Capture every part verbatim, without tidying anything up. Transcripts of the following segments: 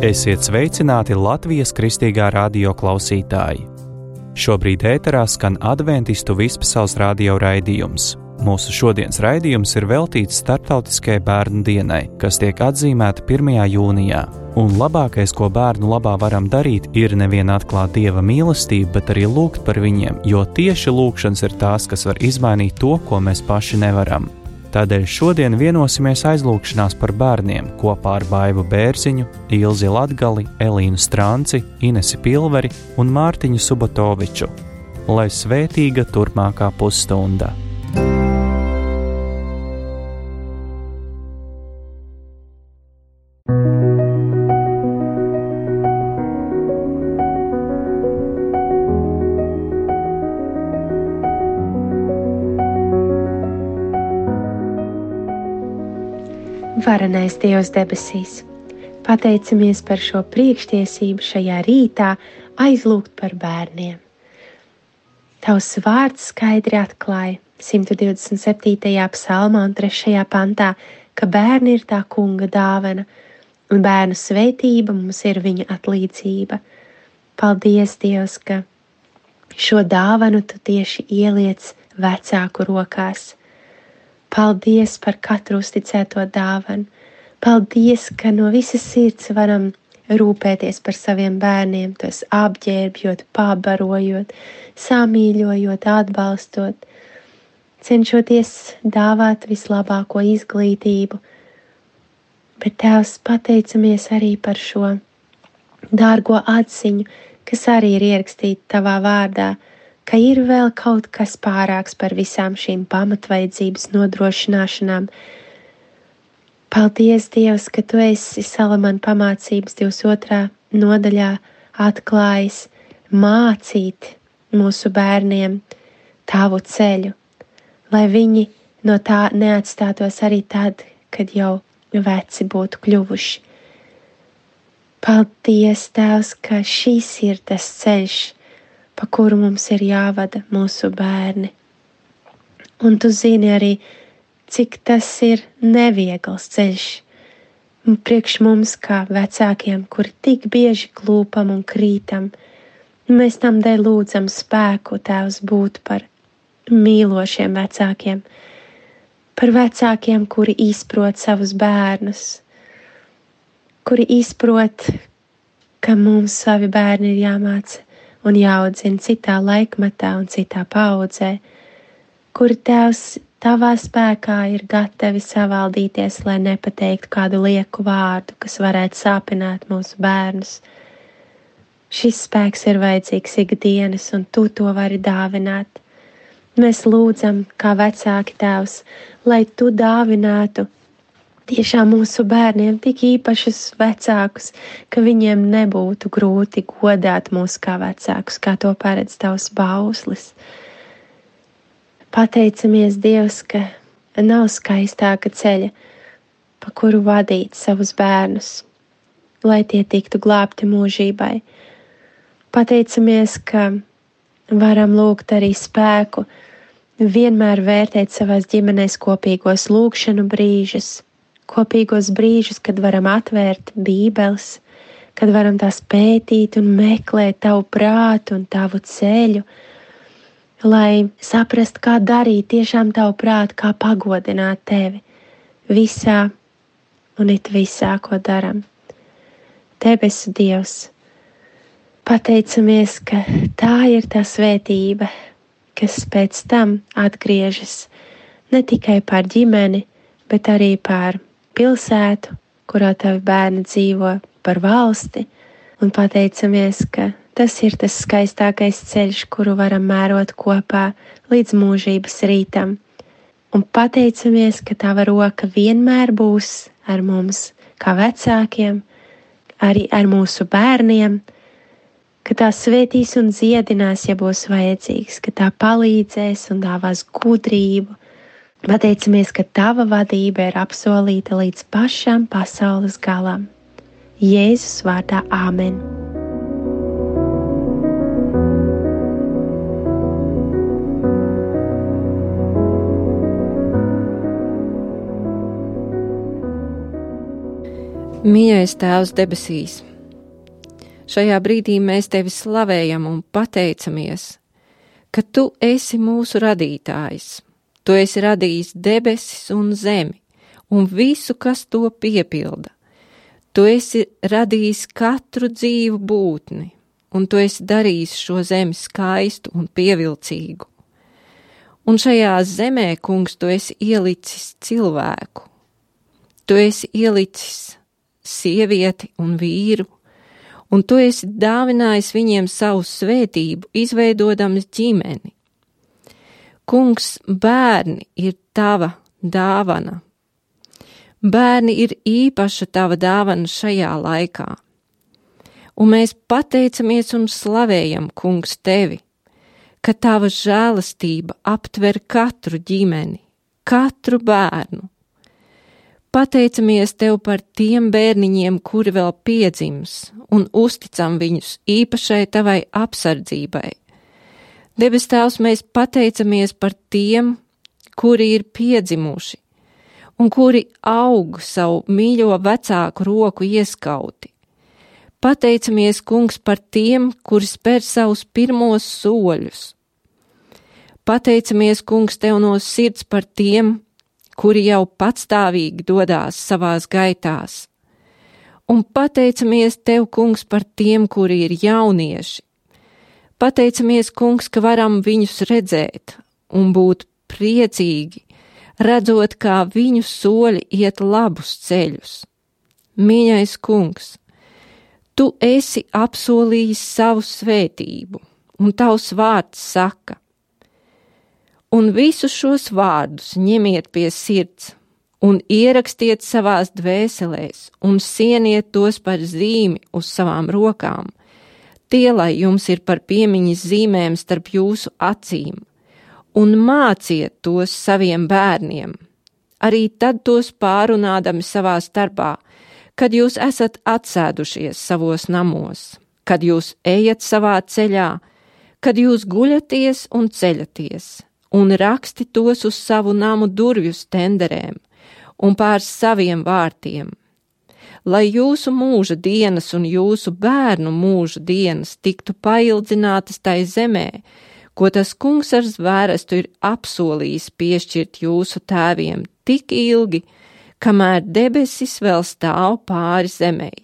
Esiet sveicināti Latvijas Kristīgā radio klausītāji! Šobrīd ēterā skan adventistu vispasaules radio raidījums. Mūsu šodienas raidījums ir veltīts Starptautiskajai bērnu dienai, kas tiek atzīmēta pirmajā jūnijā. Un labākais, ko bērnu labā varam darīt, ir nevien atklāt Dieva mīlestību, bet arī lūgt par viņiem, jo tieši lūgšanas ir tās, kas var izmainīt to, ko mēs paši nevaram. Tādēļ šodien vienosimies aizlūgšanās par bērniem kopā ar Baivu Bērziņu, Ilzi Latgali, Elīnu Stranci, Inesi Pilveri un Mārtiņu Subotoviču. Lai svētīga turpmākā pusstunda! Varenais Dievs debesīs, pateicamies par šo priekštiesību šajā rītā aizlūgt par bērniem. Tavs vārds skaidri atklāja simt divdesmit septītajā psalmā un trešajā pantā, ka bērni ir tā kunga dāvana, un bērnu svētība mums ir viņa atlīdzība. Paldies, Dievs, ka šo dāvanu tu tieši ieliec vecāku rokās. Paldies par katru uzticēto dāvanu. Paldies, ka no visas sirds varam rūpēties par saviem bērniem, tos apģērbjot, pabarojot, samīļojot, atbalstot, cenšoties dāvāt vislabāko izglītību. Bet Tēvs, pateicamies arī par šo dārgo atziņu, kas arī ir ierakstīta Tavā vārdā, ka ir vēl kaut kas pārāks par visām šīm pamatvajadzības nodrošināšanām. Paldies, Dievs, ka Tu esi Salamana pamācības divdesmit otrā nodaļā atklājis mācīt mūsu bērniem Tavu ceļu, lai viņi no tā neatstātos arī tad, kad jau veci būtu kļuvuši. Paldies, Tēvs, ka šis ir tas ceļš, pa kuru mums ir jāvada mūsu bērni. Un Tu zini arī, cik tas ir neviegls ceļš priekš mums kā vecākiem, kuri tik bieži klūpam un krītam. Mēs tam dēļ lūdzam spēku, Tēvs, būt par mīlošiem vecākiem, par vecākiem, kuri izprot savus bērnus, kuri izprot, ka mums savi bērni ir jāmāca un jāaudzina citā laikmatā un citā paaudzē, kuri, Tēvs, Tavā spēkā ir gatavi savaldīties, lai nepateiktu kādu lieku vārdu, kas varētu sāpināt mūsu bērnus. Šis spēks ir vajadzīgs ikdienas, un Tu to vari dāvināt. Mēs lūdzam, kā vecāki, Tēvs, lai Tu dāvinātu tiešām mūsu bērniem tik īpašus vecākus, ka viņiem nebūtu grūti godāt mūs kā vecākus, kā to paredz Tavs bauslis. Pateicamies, Dievs, ka nav skaistāka ceļa, pa kuru vadīt savus bērnus, lai tie tiktu glābti mūžībai. Pateicamies, ka varam lūgt arī spēku vienmēr vērtēt savās ģimenēs kopīgos lūgšanu brīžus, kopīgos brīžus, kad varam atvērt bībeles, kad varam tās pētīt un meklēt Tavu prātu un Tavu ceļu, lai saprast, kā darīt tiešām Tavu prātu, kā pagodināt Tevi visā un it visā, ko daram. Debesu Dievs, pateicamies, ka tā ir tā svētība, kas pēc tam atgriežas ne tikai par ģimeni, bet arī par pilsētu, kurā Tavi bērni dzīvo, par valsti, un pateicamies, ka tas ir tas skaistākais ceļš, kuru varam mērot kopā līdz mūžības rītam. Un pateicamies, ka Tava roka vienmēr būs ar mums, kā vecākiem, arī ar mūsu bērniem, ka tā svētīs un dziedinās, ja būs vajadzīgs, ka tā palīdzēs un dāvās gudrību. Pateicamies, ka Tava vadība ir apsolīta līdz pašam pasaules galam. Jēzus vārdā āmen. Mīļais Tēvs debesīs, Šajā brīdī mēs tevi slavējam un pateicamies, ka tu esi mūsu radītājs. Tu esi radījis debesis un zemi un visu, kas to piepilda. Tu esi radījis katru dzīvu būtni, un tu esi darījis šo zemi skaistu un pievilcīgu. Un šajā zemē, kungs, tu esi ielicis cilvēku. Tu esi ielicis sievieti un vīru, un tu esi dāvinājis viņiem savu svētību, izveidodams ģimeni. Kungs, bērni ir tava dāvana. Bērni ir īpaša tava dāvana šajā laikā. Un mēs pateicamies un slavējam, kungs, tevi, ka tava žēlastība aptver katru ģimeni, katru bērnu. Pateicamies tev par tiem bērniņiem, kuri vēl piedzims, un uzticam viņus īpašai tavai apsardzībai. Debes Tēvs, mēs pateicamies par tiem, kuri ir piedzimuši, un kuri aug savu mīļo vecāku roku ieskauti. Pateicamies, kungs, par tiem, kuri spēr savus pirmos soļus. Pateicamies, kungs, tev no sirds par tiem, kuri jau patstāvīgi dodās savās gaitās. Un pateicamies tev, kungs, par tiem, kuri ir jaunieši. Pateicamies, kungs, ka varam viņus redzēt un būt priecīgi, redzot, kā viņu soļi iet labus ceļus. Mīļais kungs, tu esi apsolījis savu svētību, un tavs vārds saka: un visus šos vārdus ņemiet pie sirds un ierakstiet savās dvēselēs un sieniet tos par zīmi uz savām rokām. Tie, lai jums ir par piemiņas zīmēm starp jūsu acīm, un māciet tos saviem bērniem, arī tad tos pārunādami savā starpā, kad jūs esat atsēdušies savos namos, kad jūs ejat savā ceļā, kad jūs guļaties un ceļaties, un raksti tos uz savu namu durvju stenderēm un pār saviem vārtiem, lai jūsu mūža dienas un jūsu bērnu mūža dienas tiktu paildzinātas tai zemē, ko tas kungs ar zvērestu ir apsolījis piešķirt jūsu tēviem tik ilgi, kamēr debesis vēl stāv pāri zemei.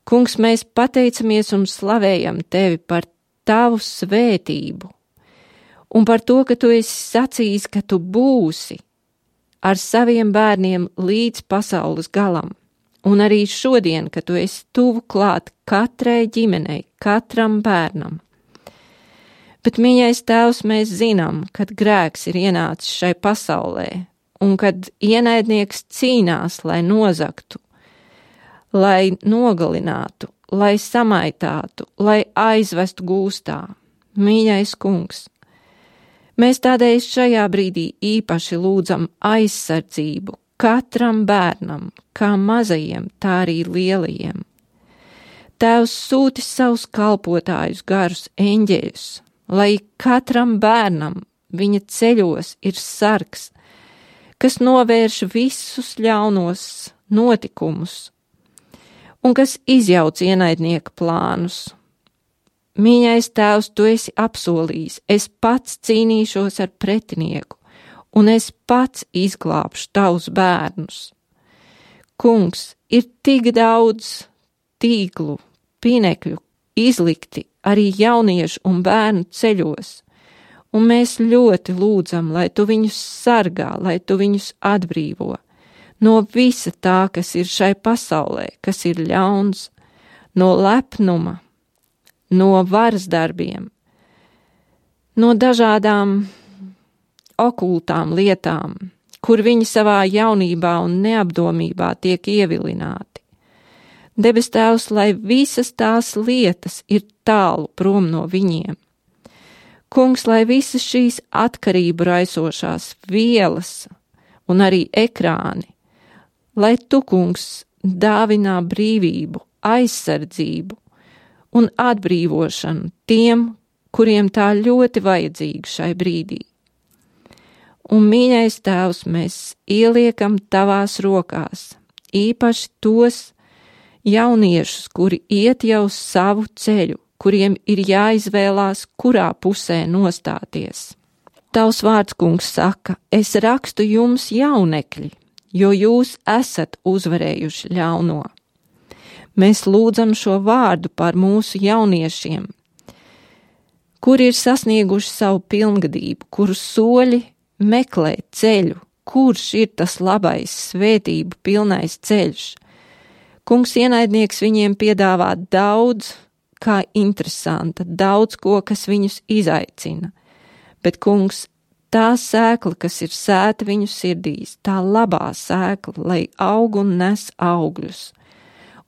Kungs, mēs pateicamies un slavējam tevi par tavu svētību, un par to, ka tu esi sacījis, ka tu būsi ar saviem bērniem līdz pasaules galam, un arī šodien, ka tu esi tuvu klāt katrai ģimenei, katram bērnam. Bet, mīļais Tēvs, mēs zinām, kad grēks ir ienācis šai pasaulē, un kad ienaidnieks cīnās, lai nozagtu, lai nogalinātu, lai samaitātu, lai aizvestu gūstā. Mīļais kungs, mēs tādēļ šajā brīdī īpaši lūdzam aizsardzību katram bērnam, kā mazajiem, tā arī lielajiem. Tēvs sūti savus kalpotājus garus eņģeļus, lai katram bērnam viņa ceļos ir sargs, kas novērš visus ļaunos notikumus un kas izjauc ienaidnieka plānus. Mīļais Tēvs, tu esi apsolījis, es pats cīnīšos ar pretinieku, un es pats izglābšu tavus bērnus. Kungs, ir tik daudz tīklu, pinekļu izlikti arī jauniešu un bērnu ceļos, un mēs ļoti lūdzam, lai tu viņus sargā, lai tu viņus atbrīvo no visa tā, kas ir šai pasaulē, kas ir ļauns, no lepnuma, no varas darbiem, no dažādām okultām lietām, kur viņi savā jaunībā un neapdomībā tiek ievilināti. Debes Tēvs, lai visas tās lietas ir tālu prom no viņiem. Kungs, lai visas šīs atkarību raisošās vielas un arī ekrāni, lai tu, kungs, dāvinā brīvību, aizsardzību un atbrīvošanu tiem, kuriem tā ļoti vajadzīga šai brīdī. Un, mīļais Tēvs, mēs ieliekam tavās rokās, īpaši tos jauniešus, kuri iet jau savu ceļu, kuriem ir jāizvēlās, kurā pusē nostāties. Tavs vārds, kungs, saka, es rakstu jums jaunekļi, jo jūs esat uzvarējuši ļauno. Mēs lūdzam šo vārdu par mūsu jauniešiem, kuri ir sasnieguši savu pilngadību, kuru soļi meklē ceļu, kurš ir tas labais, svētību pilnais ceļš. Kungs, ienaidnieks viņiem piedāvā daudz, kā interesanta, daudz ko, kas viņus izaicina. Bet, kungs, tā sēkla, kas ir sēta viņu sirdīs, tā labā sēkla, lai aug un nes augļus.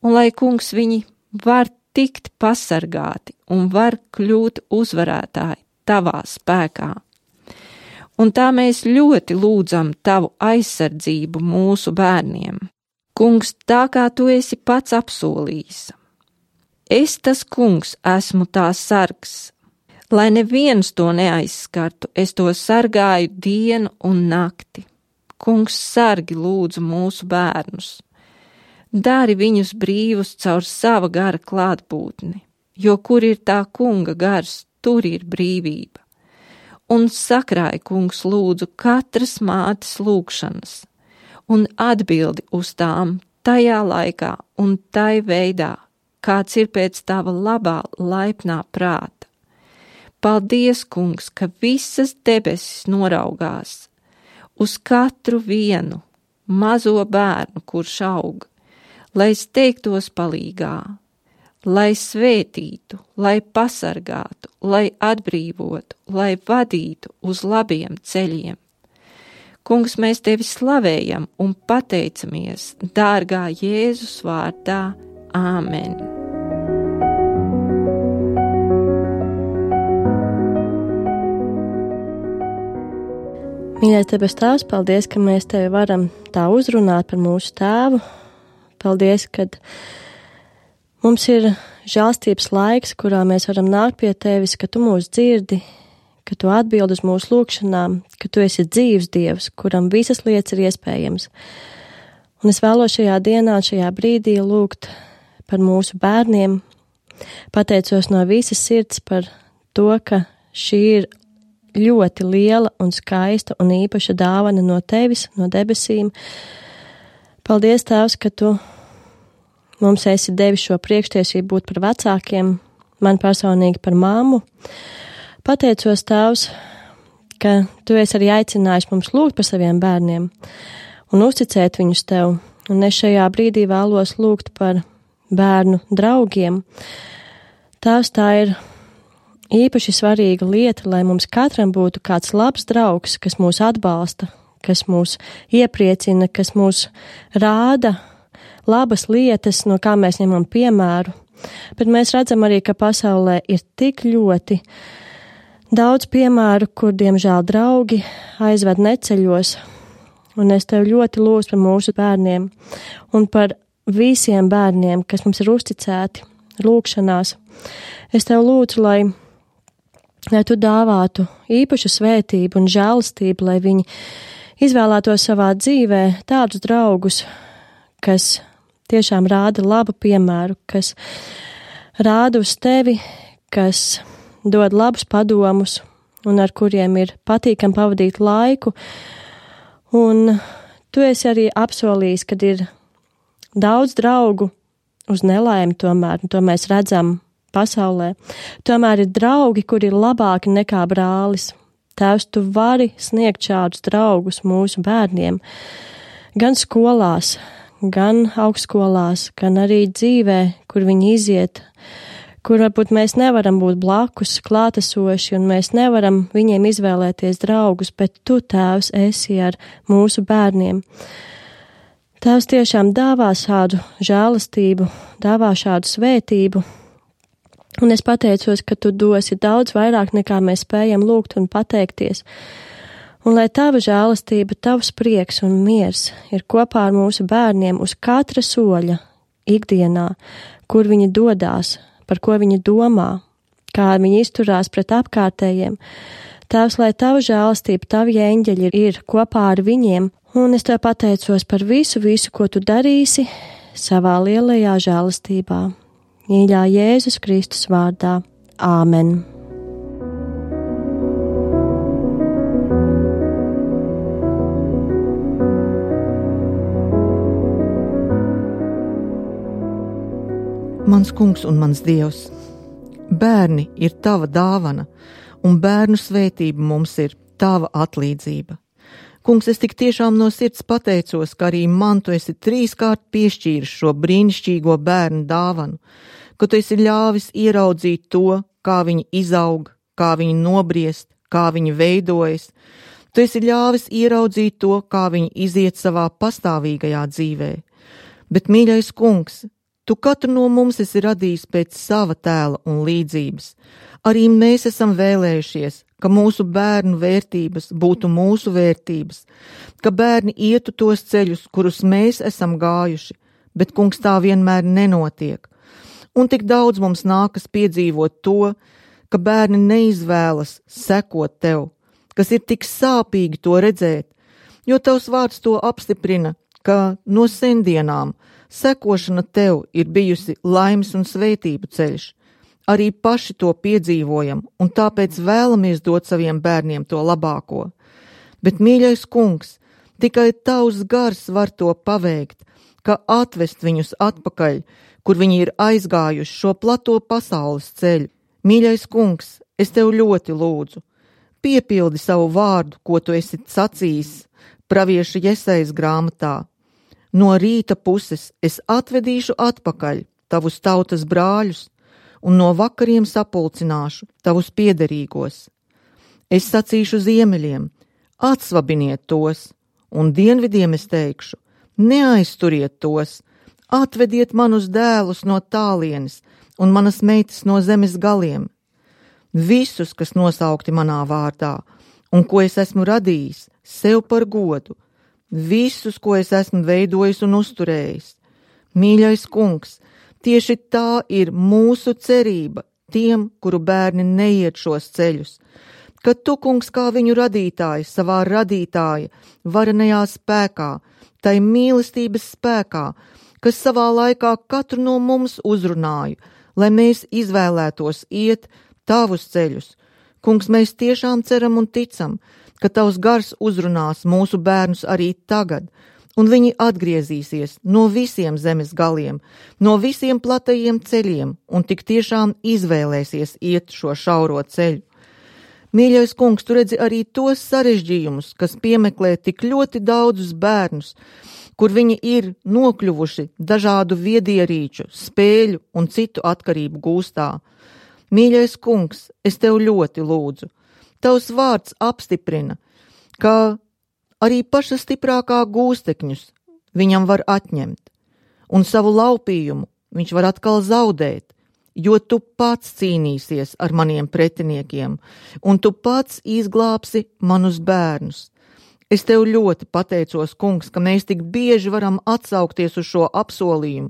Un lai, kungs, viņi var tikt pasargāti un var kļūt uzvarētāji tavā spēkā. Un tā mēs ļoti lūdzam tavu aizsardzību mūsu bērniem. Kungs, tā kā tu esi pats apsolījis. Es, tas kungs, esmu tā sargs. Lai neviens to neaizskartu, es to sargāju dienu un nakti. Kungs, sargi lūdzu mūsu bērnus. Dari viņus brīvus caur sava gara klātbūtni, jo kur ir tā kunga gars, tur ir brīvība. Un sakrāj, kungs, lūdzu katras mātes lūgšanas, un atbildi uz tām tajā laikā un tai veidā, kāds ir pēc tava labā laipnā prāta. Paldies, kungs, ka visas debesis noraugās uz katru vienu mazo bērnu, kurš aug, lai steigtos palīgā, lai svētītu, lai pasargātu, lai atbrīvotu, lai vadītu uz labiem ceļiem. Kungs, mēs tevi slavējam un pateicamies, dārgā Jēzus vārdā. Āmen! Mīļais debes Tēvs, paldies, ka mēs Tevi varam tā uzrunāt par mūsu tēvu. Paldies, ka mums ir žēlstības laiks, kurā mēs varam nākt pie Tevis, ka Tu mūs dzirdi, ka Tu atbild uz mūsu lūgšanām, ka Tu esi dzīvs Dievs, kuram visas lietas ir iespējams. Un es vēlos šajā dienā, šajā brīdī lūgt par mūsu bērniem. Pateicos no visas sirds par to, ka šī ir ļoti liela un skaista un īpaša dāvana no Tevis, no debesīm. Paldies, Tēvs, ka Tu mums esi devis šo priekštiesību būt par vecākiem, man personīgi par māmu. Pateicos, Tēvs, ka Tu esi arī aicinājis mums lūgt par saviem bērniem un uzticēt viņus Tev. Un es šajā brīdī vēlos lūgt par bērnu draugiem. Tēvs, tā ir īpaši svarīga lieta, lai mums katram būtu kāds labs draugs, kas mūs atbalsta, kas mūs iepriecina, kas mūs rāda labas lietas, no kā mēs ņemam piemēru. Bet mēs redzam arī, ka pasaulē ir tik ļoti daudz piemēru, kur, diemžēl, draugi aizved neceļos. Un es Tev ļoti lūdzu par mūsu bērniem un par visiem bērniem, kas mums ir uzticēti lūgšanās. Es Tev lūdzu, lai lai Tu dāvātu īpašu svētību un žēlastību, lai viņi izvēlētos savā dzīvē tādus draugus, kas tiešām rāda labu piemēru, kas rāda uz Tevi, kas dod labus padomus un ar kuriem ir patīkami pavadīt laiku. Un Tu esi arī apsolījis, kad ir daudz draugu uz nelaimi tomēr, un to mēs redzam pasaulē. Tomēr ir draugi, kuri ir labāki nekā brālis. Tēvs, Tu vari sniegt šādus draugus mūsu bērniem, gan skolās, gan augstskolās, gan arī dzīvē, kur viņi iziet, kur varbūt mēs nevaram būt blakus klātesoši un mēs nevaram viņiem izvēlēties draugus, bet Tu, Tēvs, esi ar mūsu bērniem. Tēvs tiešām dāvā šādu žēlastību, dāvā šādu svētību. Un es pateicos, ka Tu dosi daudz vairāk nekā mēs spējam lūgt un pateikties. Un lai Tava žēlastība, Tavs prieks un miers ir kopā ar mūsu bērniem uz katra soļa ikdienā, kur viņi dodās, par ko viņi domā, kā viņi izturās pret apkārtējiem. Tēvs, lai Tava žēlastība, Tavi eņģeļi ir kopā ar viņiem. Un es Tev pateicos par visu, visu, ko Tu darīsi savā lielajā žēlastībā. Mīļā Jēzus Kristus vārdā. Āmen! Mans kungs un mans dievs, bērni ir tava dāvana, un bērnu svētība mums ir tava atlīdzība. Kungs, es tik tiešām no sirds pateicos, ka arī man tu esi trīskārt piešķīris šo brīnišķīgo bērnu dāvanu, ka tu esi ļāvis ieraudzīt to, kā viņi izaug, kā viņi nobriest, kā viņi veidojas. Tu esi ļāvis ieraudzīt to, kā viņi iziet savā pastāvīgajā dzīvē. Bet, mīļais kungs, tu katru no mums esi radījis pēc sava tēla un līdzības. Arī mēs esam vēlējušies, ka mūsu bērnu vērtības būtu mūsu vērtības, ka bērni ietu tos ceļus, kurus mēs esam gājuši, bet, kungs, tā vienmēr nenotiek. Un tik daudz mums nākas piedzīvot to, ka bērni neizvēlas sekot tev, kas ir tik sāpīgi to redzēt, jo tavs vārds to apstiprina, ka no sendienām sekošana tev ir bijusi laimes un svētību ceļš. Arī paši to piedzīvojam, un tāpēc vēlamies dot saviem bērniem to labāko. Bet, mīļais kungs, tikai tavs gars var to paveikt, ka atvest viņus atpakaļ, kur viņi ir aizgājuši šo plato pasaules ceļu. Mīļais kungs, es tev ļoti lūdzu, piepildi savu vārdu, ko tu esi sacījis pravieša Jesajas grāmatā. No rīta puses es atvedīšu atpakaļ tavus tautas brāļus, un no vakariem sapulcināšu tavus piederīgos. Es sacīšu ziemeļiem, atsvabiniet tos, un dienvidiem es teikšu, neaizturiet tos, atvediet manus dēlus no tālienes un manas meitas no zemes galiem. Visus, kas nosaukti manā vārdā, un ko es esmu radījis, sev par godu, visus, ko es esmu veidojis un uzturējis. Mīļais kungs, tieši tā ir mūsu cerība tiem, kuru bērni neiet šos ceļus, ka tu, kungs, kā viņu radītājs, savā radītāja varenajā spēkā, tai mīlestības spēkā, kas savā laikā katru no mums uzrunāja, lai mēs izvēlētos iet tavus ceļus. Kungs, mēs tiešām ceram un ticam, ka tavs gars uzrunās mūsu bērnus arī tagad, un viņi atgriezīsies no visiem zemes galiem, no visiem platajiem ceļiem, un tik tiešām izvēlēsies iet šo šauro ceļu. Mīļais kungs, tu redzi arī tos sarežģījumus, kas piemeklē tik ļoti daudzus bērnus, kur viņi ir nokļuvuši dažādu viedierīču, spēļu un citu atkarību gūstā. Mīļais kungs, es tev ļoti lūdzu, tavs vārds apstiprina, ka arī paša stiprākā gūstekņus viņam var atņemt, un savu laupījumu viņš var atkal zaudēt, jo tu pats cīnīsies ar maniem pretiniekiem, un tu pats izglābsi manus bērnus. Es tev ļoti pateicos, kungs, ka mēs tik bieži varam atsaukties uz šo apsolījumu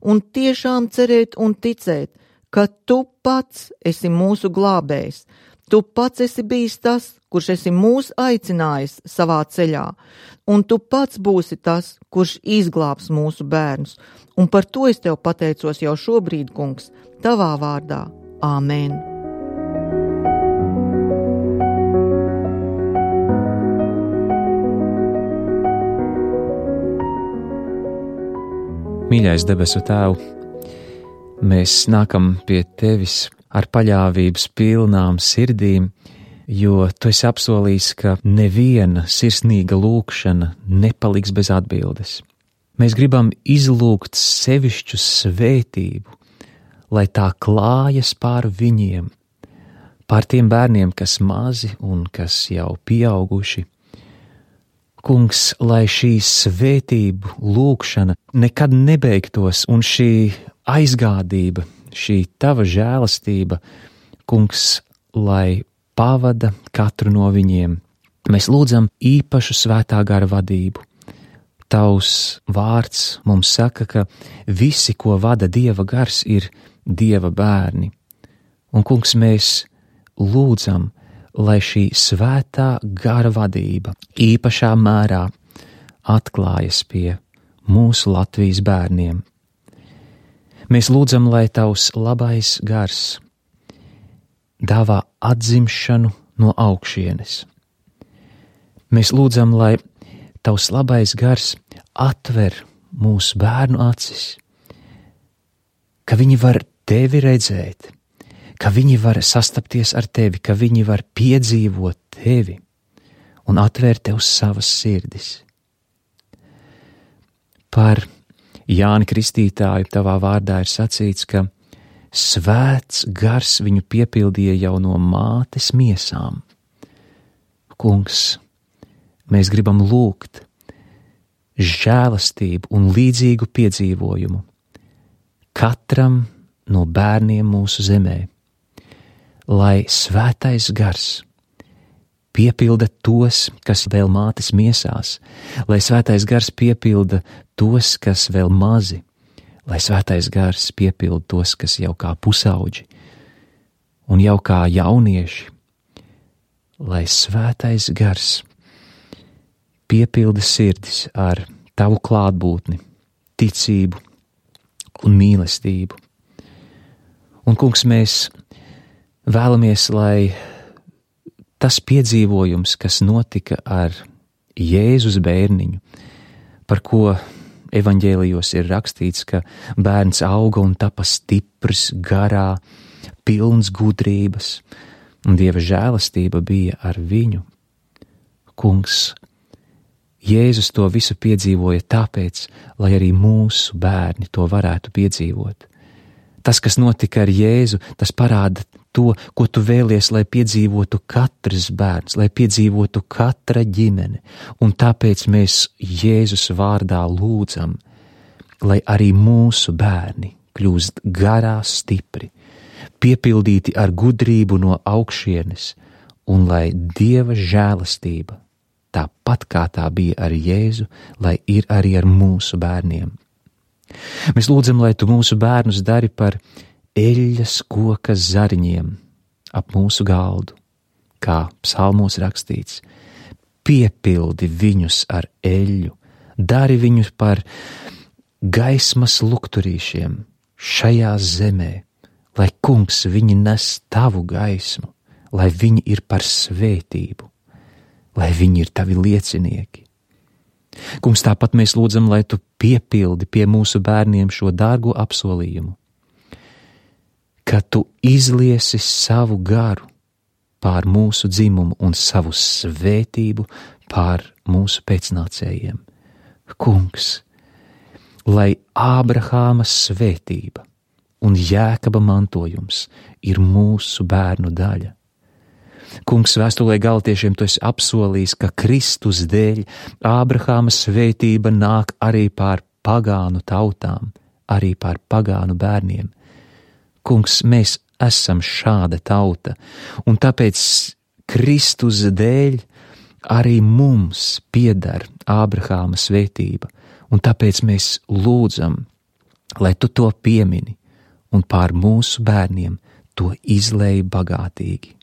un tiešām cerēt un ticēt, ka tu pats esi mūsu glābējs. Tu pats esi bijis tas, kurš esi mūs aicinājis savā ceļā, un tu pats būsi tas, kurš izglābs mūsu bērnus, un par to es tev pateicos jau šobrīd, kungs, tavā vārdā. Āmen! Mīļais debesu Tēv, mēs nākam pie Tevis ar paļāvības pilnām sirdīm, jo Tu esi apsolījis, ka neviena sirsnīga lūkšana nepaliks bez atbildes. Mēs gribam izlūgt sevišķu svētību, lai tā klājas pār viņiem, pār tiem bērniem, kas mazi un kas jau pieauguši. Kungs, lai šī svētību lūkšana nekad nebeigtos, un šī aizgādība, šī Tava žēlastība, Kungs, lai pavada katru no viņiem. Mēs lūdzam īpašu svētā gara vadību. Tavs vārds mums saka, ka visi, ko vada Dieva gars, ir Dieva bērni. Un, Kungs, mēs lūdzam, lai šī svētā gara vadība īpašā mērā atklājas pie mūsu Latvijas bērniem. Mēs lūdzam, lai tavs labais gars dāvā atzimšanu no augšienes. Mēs lūdzam, lai tavs labais gars atver mūsu bērnu acis, ka viņi var tevi redzēt, ka viņi var sastapties ar tevi, ka viņi var piedzīvot tevi un atvērt tev savas sirdis. Par Jāni Kristītāju tavā vārdā ir sacīts, ka svēts gars viņu piepildīja jau no mātes miesām. Kungs, mēs gribam lūgt žēlastību un līdzīgu piedzīvojumu katram no bērniem mūsu zemē, lai svētais gars piepilda tos, kas vēl mātes miesās, lai svētais gars piepilda tos, kas vēl mazi, lai svētais gars piepilda tos, kas jau kā pusauģi un jau kā jaunieši, lai svētais gars piepilda sirdis ar tavu klātbūtni, ticību un mīlestību. Un, kungs, mēs vēlamies, lai tas piedzīvojums, kas notika ar Jēzus bērniņu, par ko evaņģēlijos ir rakstīts, ka bērns auga un tapa stiprs, garā, pilns gudrības, un Dieva žēlastība bija ar viņu. Kungs, Jēzus to visu piedzīvoja tāpēc, lai arī mūsu bērni to varētu piedzīvot. Tas, kas notika ar Jēzu, tas parāda to, ko tu vēlies, lai piedzīvotu katrs bērns, lai piedzīvotu katra ģimene, un tāpēc mēs Jēzus vārdā lūdzam, lai arī mūsu bērni kļūst garā stipri, piepildīti ar gudrību no augšienes, un lai Dieva žēlastība, tāpat kā tā bija ar Jēzu, lai ir arī ar mūsu bērniem. Mēs lūdzam, lai tu mūsu bērnus dari par eļļas koka zariņiem ap mūsu galdu, kā psalmos rakstīts. Piepildi viņus ar eļļu, dari viņus par gaismas lukturīšiem šajā zemē, lai, kungs, viņi nes tavu gaismu, lai viņi ir par svētību, lai viņi ir tavi liecinieki. Kungs, tāpat mēs lūdzam, lai tu piepildi pie mūsu bērniem šo dārgo apsolījumu, ka tu izliesi savu garu pār mūsu dzimumu un savu svētību pār mūsu pēcnācējiem. Kungs, lai Ābrahāma svētība un Jēkaba mantojums ir mūsu bērnu daļa. Kungs, vēstulē Galatiešiem tu esi apsolījis, ka Kristus dēļ Ābrahāma svētība nāk arī pār pagānu tautām, arī pār pagānu bērniem. Kungs, mēs esam šāda tauta, un tāpēc Kristus dēļ arī mums pieder Ābrahāma svētība, un tāpēc mēs lūdzam, lai tu to piemini, un pār mūsu bērniem to izlej bagātīgi.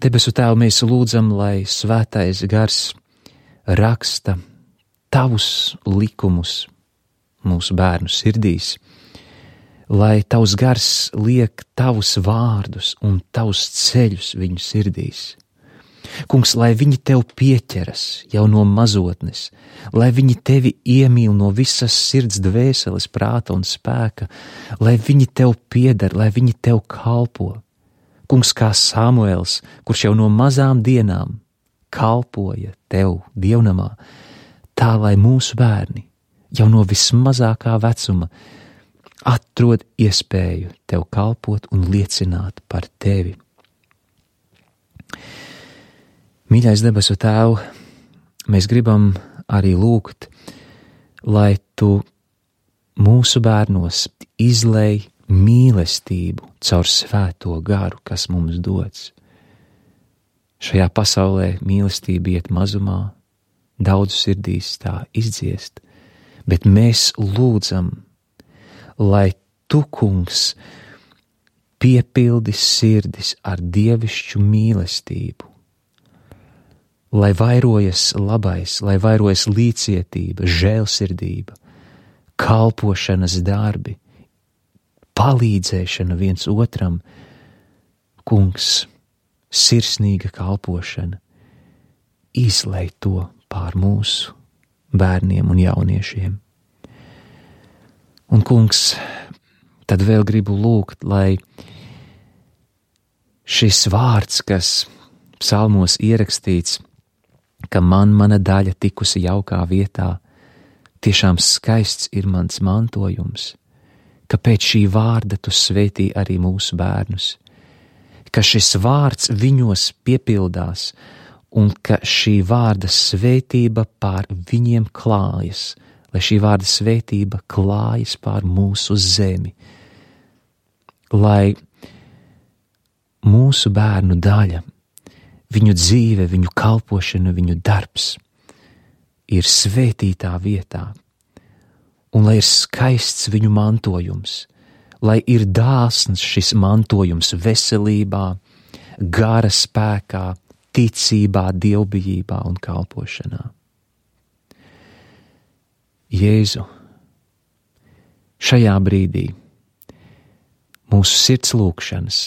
Debesu Tēvu, mēs lūdzam, lai svētais gars raksta tavus likumus mūsu bērnu sirdīs, lai tavs gars liek tavus vārdus un tavus ceļus viņu sirdīs. Kungs, lai viņi tev pieķeras jau no mazotnes, lai viņi tevi iemīl no visas sirds, dvēseles, prāta un spēka, lai viņi tev pieder, lai viņi tev kalpo. Kungs, kā Samuels, kurš jau no mazām dienām kalpoja tev dievnamā, tā lai mūsu bērni jau no vismazākā vecuma atrod iespēju tev kalpot un liecināt par tevi. Mīļais debesu Tēvu, mēs gribam arī lūgt, lai tu mūsu bērnos izlej mīlestību caur svēto garu, kas mums dots. Šajā pasaulē mīlestība iet mazumā, daudzu sirdīs tā izdziest, bet mēs lūdzam, lai tu, kungs, piepildi sirdis ar dievišķu mīlestību, lai vairojas labais, lai vairojas līdzcietība, žēlsirdība, kalpošanas darbi, palīdzēšana viens otram, Kungs, sirsnīga kalpošana, izlej to pār mūsu bērniem un jauniešiem. Un, Kungs, tad vēl gribu lūgt, lai šis vārds, kas psalmos ierakstīts, ka man mana daļa tikusi jaukā vietā, tiešām skaists ir mans mantojums, ka pēc šī vārda tu svētī arī mūsu bērnus, ka šis vārds viņos piepildās un ka šī vārda svētība pār viņiem klājas, lai šī vārda svētība klājas pār mūsu zemi, lai mūsu bērnu daļa, viņu dzīve, viņu kalpošana, viņu darbs ir svētītā vietā, un lai ir skaists viņu mantojums, lai ir dāsns šis mantojums veselībā, gara spēkā, ticībā, dievbijībā un kalpošanā. Jēzu, šajā brīdī mūsu sirds lūkšanas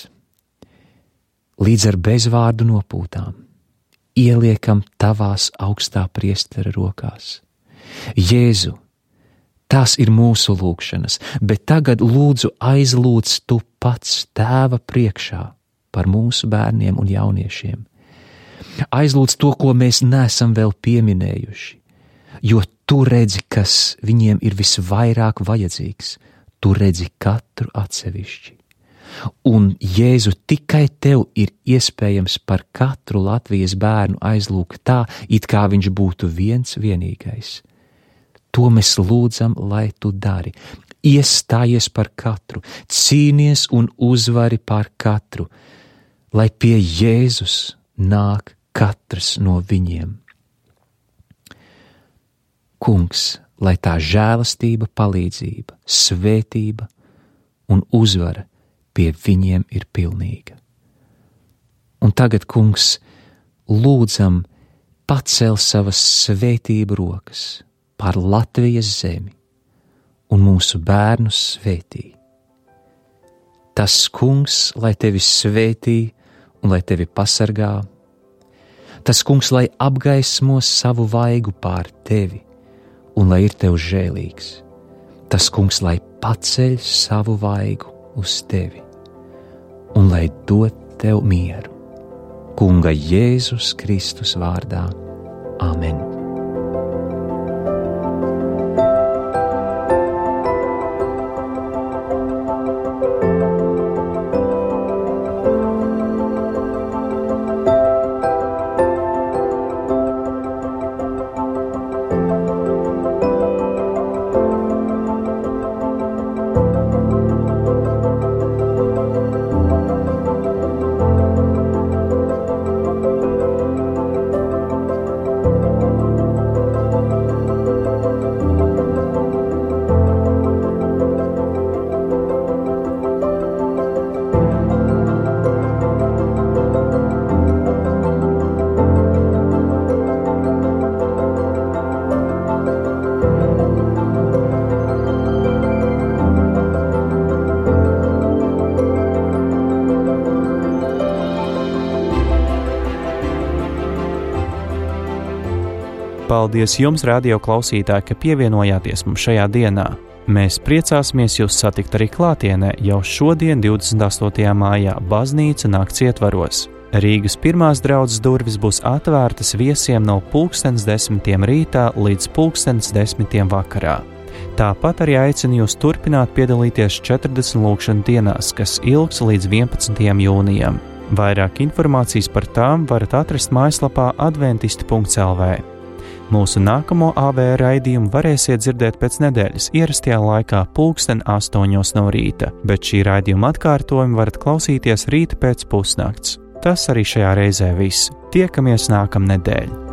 līdz ar bezvārdu nopūtām ieliekam tavās augstā priestera rokās. Jēzu, tās ir mūsu lūkšanas, bet tagad lūdzu aizlūdz tu pats Tēva priekšā par mūsu bērniem un jauniešiem. Aizlūdz to, ko mēs neesam vēl pieminējuši, jo tu redzi, kas viņiem ir visvairāk vajadzīgs, tu redzi katru atsevišķi. Un, Jēzu, tikai tev ir iespējams par katru Latvijas bērnu aizlūgt tā, it kā viņš būtu viens vienīgais. To mēs lūdzam, lai tu dari. Iestājies par katru, cīnies un uzvari par katru, lai pie Jēzus nāk katrs no viņiem. Kungs, lai tā žēlastība, palīdzība, svētība un uzvara pie viņiem ir pilnīga. Un tagad, Kungs, lūdzam pacel savas svētību rokas pār Latvijas zemi un mūsu bērnus svētī. Tas Kungs, lai tevi svētī un lai tevi pasargā, tas Kungs, lai apgaismo savu vaigu pār tevi un lai ir tev žēlīgs, tas Kungs, lai paceļ savu vaigu uz tevi un lai dod tev mieru. Kunga Jēzus Kristus vārdā. Amen. Paldies jums, radio klausītāji, ka pievienojāties mums šajā dienā. Mēs priecāsimies jūs satikt arī klātienē jau šodien, divdesmit astotajā mājā, baznīca nakts ietvaros. Rīgas pirmās draudzes durvis būs atvērtas viesiem no pulkstens desmitiem rītā līdz pulkstens desmitiem vakarā. Tāpat arī aicinu jūs turpināt piedalīties četrdesmit lūkšanu dienās, kas ilgs līdz vienpadsmitajam jūnijam. Vairāk informācijas par tām varat atrast mājaslapā adventisti punkts el vē. Mūsu nākamo A V raidījumu varēsiet dzirdēt pēc nedēļas ierastajā laikā pulksten astoņos no rīta, bet šī raidījuma atkārtojumu varat klausīties rīta pēc pusnakts. Tas arī šajā reizē viss. Tiekamies nākamnedēļ!